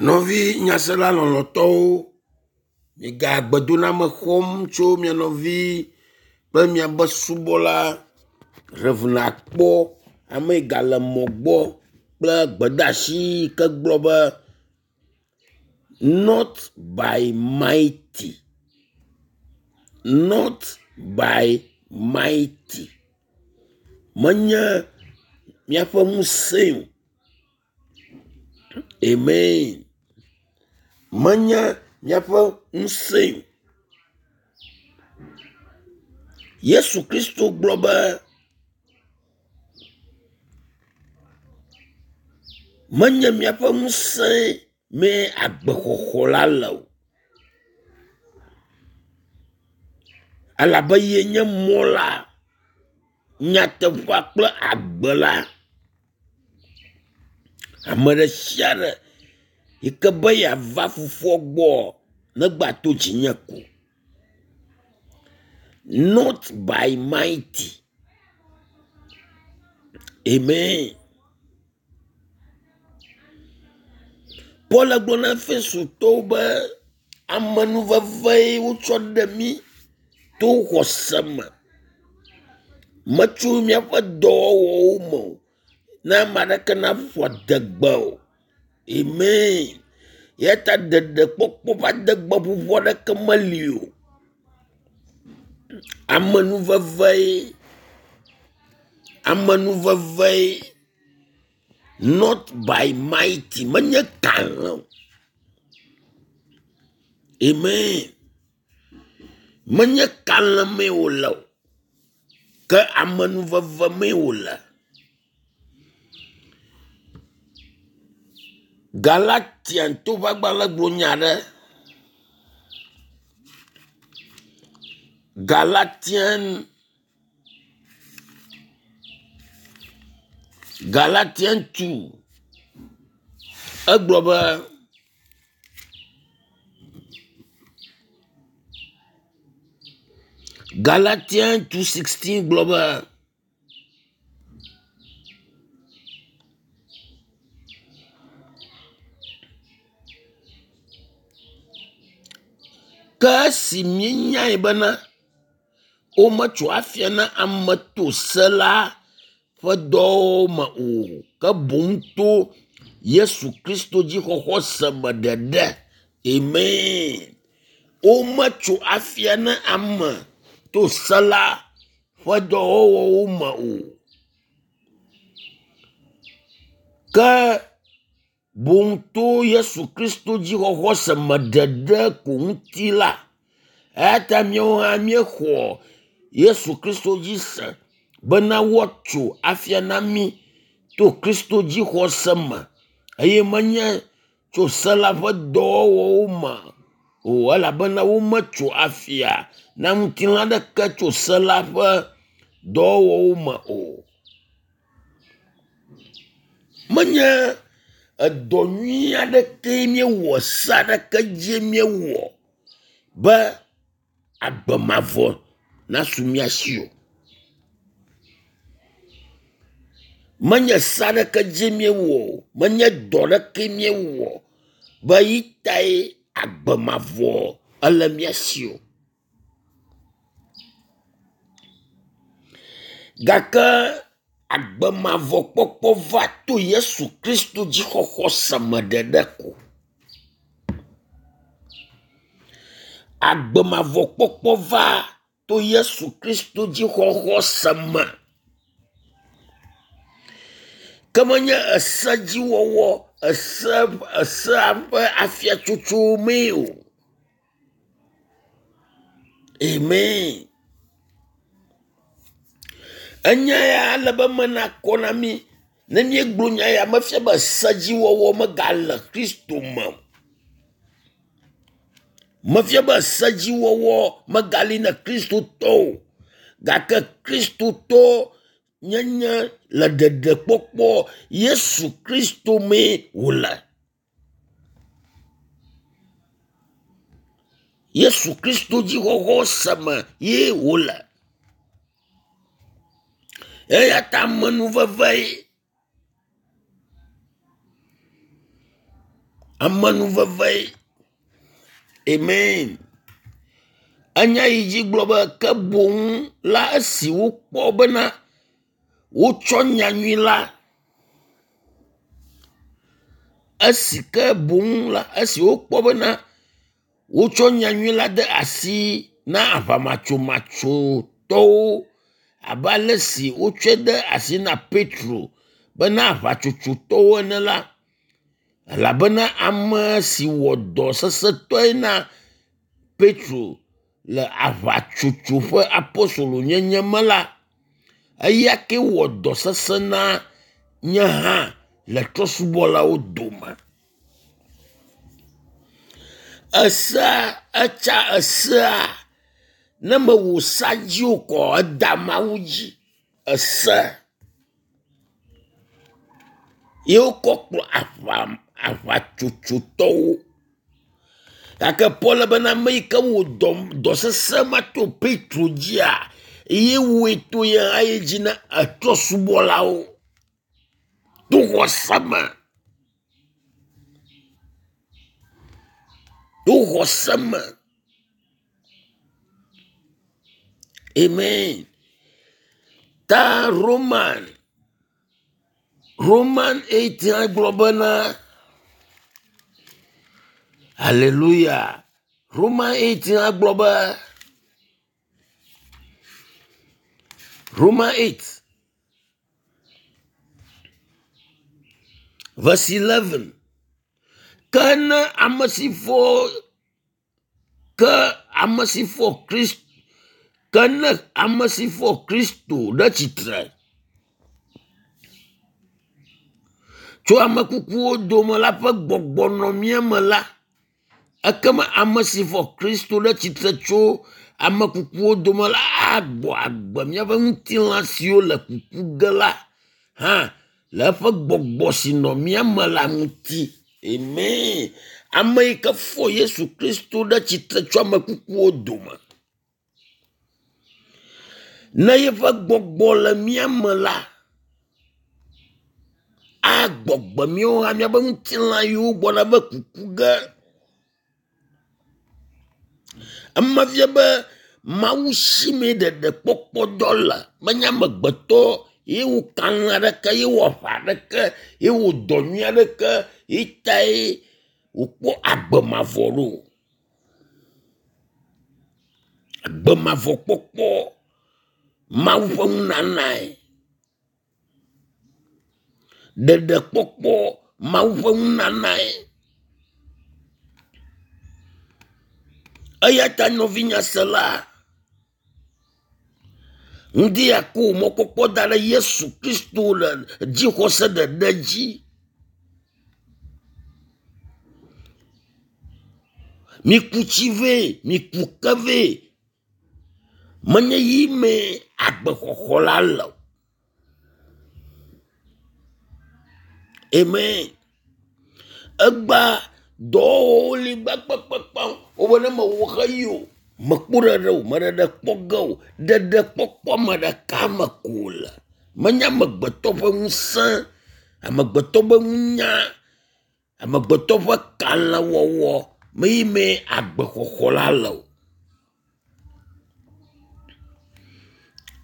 Nɔvi nyasela lɔlɔ̃tɔwo, miga gbedoname xɔm tso mia nɔvi kple miabe subɔla Rev. Akpɔ ame yi gale mɔ gbɔ kple gbedeasi yi ke gblɔ be not by mighty, not by mighty. Menye míaƒe ŋusẽe o. Amen. Menye míaƒe ŋusẽe o. Yesu Kristo gblɔ be menye míaƒe ŋusẽ mee agbexɔxɔ la le o. Elabe ye nye mɔ la, nyateƒea kple agbe la. Ame ɖe sia ɖe yi ke be yeava fofoa gbɔ negba to dzinye ko. Not by mighty. Amen. Paul gblɔ na Efesotɔwo be amenuvevee wotsɔ ɖe mí to xɔse me. Metso míaƒe dɔwɔwɔwo me o. Ne ame aɖeke naƒo adegbe o. Amen. Eya ta ɖeɖekpɔkpɔ ƒe adegbeƒoƒo aɖeke meli o. Amenuvevee. Amenuvevee. Not by mighty. Menye kalẽ o. Amen. Menye kalẽ mee wòle o. Ke amenuveve mee wòle. Galatian to ƒe agbalẽ gblɔ nya aɖe. Galatian Galatian 2 egblɔ be Galatian 2:16 gblɔ be Ke esi míenyae bena wometso afia na ame to se la ƒe dɔwo me o, ke boŋ to Yesu Kristo dzixɔxɔ se me ɖeɖe. Amen. Wometso afia na ame to se la ƒe dɔwɔwɔwo me o. Ke boŋ to Yesu Kristo dzixɔxɔ se me ɖeɖe ko ŋuti la, eya ta míawo hã míexɔ Yesu Kristo dzi se bena woatso afia na mí to Kristo dzixɔse me eye menye tso se la ƒe dɔwɔwɔwo me o elabena wometso afia na ŋutilã aɖeke tso se la ƒe dɔwɔwɔwo me o. Menye edɔ nyui aɖekee míewɔ, se aɖeke dzie míewɔ be agbe mavɔ nasu mía si o. Menye se aɖeke dzie míewɔ o, menye dɔ aɖeke míewɔ be yi tae agbe mavɔ ele mía si o. Gake agbe mavɔ kpɔkpɔ va to Yesu Kristo dzixɔxɔ se me ɖeɖe ko. Agbe mavɔ kpɔkpɔ va to Yesu Kristo dzixɔxɔ se me. Ke menye esedziwɔwɔ, ese esea ƒe afiatsotso mee o. Amen. Enya ya ele be eme nakɔ na mí. Ne míegblɔ nya ya mefia be sedziwɔwɔ megale Kristo me o. Mefia be sedziwɔwɔ megali na Kristotɔ o. Gake Kristotɔ nyenye le ɖeɖekpɔkpɔ Yesu Kristo mee wòle. Yesu Kristo dzixɔxɔ se me ye wòle. Eya ta amenuveve ye. Amenuveve. Amen. Enya yi dzi gblɔ be ke boŋ la esi wokpɔ bena wotsɔ nyanyui la esi ke boŋ la esi wokpɔ bena wotsɔ nyanyui la de asi na aʋamatsomatsotɔwo abe ale si wotsɔe de asi na Petro bena aʋatsotsotɔwo ene la, elabena ame si wɔ dɔ sesẽtɔe na Petro le aʋatsotso ƒe apostolonyenye me la, eya ke wɔ dɔ sesẽ na nye hã le trɔ̃subɔlawo dome. Esea etsa esea ne mewɔ sea dzi o kɔ eda Mawu dzi. Ese ye wokɔ kplɔ aʋa aʋatsotsotɔwo. Gake Paul bena ame yi ke wɔ dɔ dɔ sesẽ ma to Petro dzia ye wɔe to ye hã ye dzi na etrɔ̃subɔlawo to xɔse me. To xɔse me. Amen. Ta Roman Roman 8 hã gblɔ bena Hallelujah. Roman 8 hã gblɔ be Roman 8 verse 11. Ke ne ame si fɔ ke ame si fɔ Kristo ke ne ame si fɔ Kristo ɖe tsitre tso ame kukuwo dome la ƒe gbɔgbɔ nɔ mía me la, ekema ame si fɔ Kristo ɖe tsitre tso ame kukuwo dome la agbɔ agbe míaƒe ŋutilã siwo le kuku ge la hã le eƒe gbɔgbɔ si nɔ mía me la ŋuti. Amen. Ame yi ke fɔ Yesu Kristo ɖe tsitre tso ame kukuwo dome. Ne yeƒe gbɔgbɔ le mía me la, agbɔgbe míawo hã míaƒe ŋutilã yiwo gbɔna be kuku ge. Ema fia be Mawu si mee ɖeɖekpɔkpɔ dɔ le. Menye amegbetɔ ye wɔ kalẽ aɖeke, ye wɔ aʋa aɖeke, ye wɔ dɔ nyui aɖeke ye tae wòkpɔ agbe mavɔ ɖo. Agbe mavɔ kpɔkpɔ Mawu ƒe nunanae. Ɖeɖekpɔkpɔ Mawu ƒe nunanae. Eya ta nɔvinyasela, ŋdi ya ko mɔkpɔkpɔ da ɖe Yesu Kristo le dzixɔse ɖeɖe dzi. Miku tsi vɛ, miku ke vɛ. Menye yi mee agbexɔxɔ la le o. Amen. Egbea dɔwɔwɔwo li gbãgbãgbãgbã wobe ne mewɔ xeyi o, mekpɔ ɖeɖe o, meɖeɖe kpɔ ge o. Ɖeɖekpɔkpɔ ame ɖeka me ko wòle. Menye amegbetɔ ƒe ŋusẽ, amegbetɔ ƒe nunya, amegbetɔ ƒe kalẽwɔwɔ mee mee agbexɔxɔ la le o.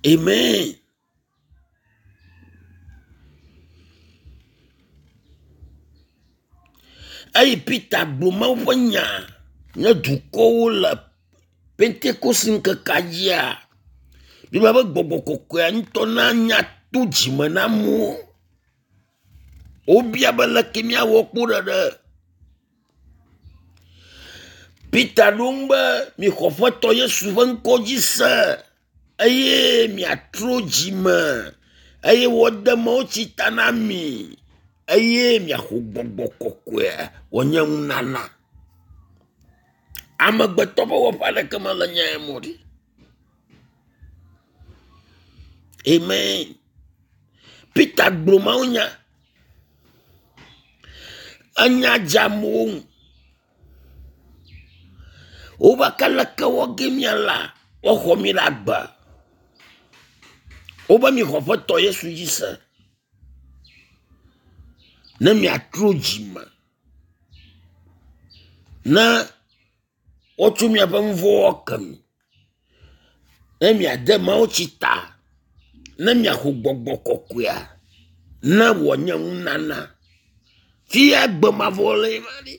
Amen. Eyi Peter gblɔ Mawu ƒe nya ne dukɔwo le Pentekoste ŋkekea dzia, Biblia be gbɔgbɔ kɔkɔea ŋutɔ na nya to dzime na amewo. Wobia be leke míawɔ kpɔ ɖeɖe. Peter ɖo ŋu be mixɔ Aƒetɔ Yesu ƒe ŋkɔ dzi se eye miatrɔ dzime eye woade mawutsi ta na mi eye miaxɔ gbɔgbɔ kɔkɔea wòanye nunana. Amegbetɔ ƒe wɔƒe aɖeke mele nya ya me o ɖi. Amen. Peter gblɔ mawunya. Enya dze amewo ŋu. Wobe ke leke wɔ ge míala woaxɔ mí ɖe agbe. Wobe mixɔ Aƒetɔ Yesu dzi se ne miatrɔ dzime. Ne wotsɔ miaƒe nu vɔ̃wo ke mi, ne miade mawutsi ta, ne miaxɔ gbɔgbɔ kɔkɔea, ne wòanye nunana. Fia agbe mavɔ le ma ɖi.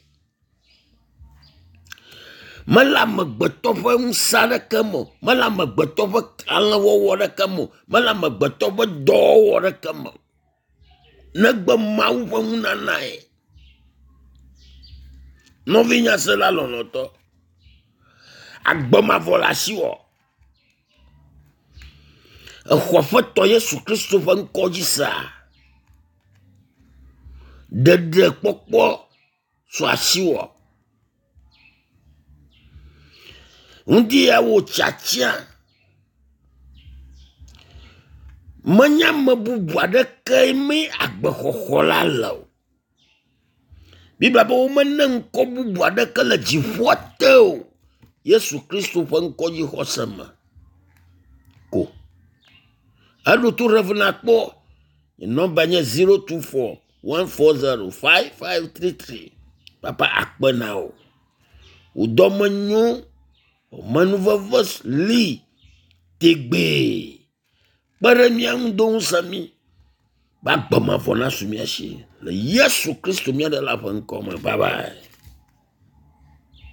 Mele amegbetɔ ƒe ŋusẽ aɖeke me o, mele amegbetɔ ƒe kalẽwɔwɔ aɖeke me o, mele amegbetɔ ƒe dɔwɔwɔ aɖeke me o. Negbe Mawu ƒe nunanae. Nɔvinyasela lɔlɔ̃tɔ, agbe mavɔ le asiwò. Exɔ Aƒetɔ Yesu Kristo ƒe ŋkɔ dzi sea? Ɖeɖekpɔkpɔ su asiwò. Ŋdi ya wò tiatia. Menye ame bubu aɖeke mee agbexɔxɔ la le o. Biblia be womena ŋkɔ bubu aɖeke le dziƒoa te o. Yesu Kristo ƒe ŋkɔ dzixɔse me ko. Eɖo to Rev. Nakpɔ. Nye nɔmba nye 024 140 5533. Papa akpe na wò. Wò dɔme nyo, wò amenuveve li tegbee. Kpe ɖe mía ŋu do ŋusẽ mí be agbe mavɔ nasu mía si le Yesu Kristo mía Ɖela ƒe ŋkɔ me. Bye bye.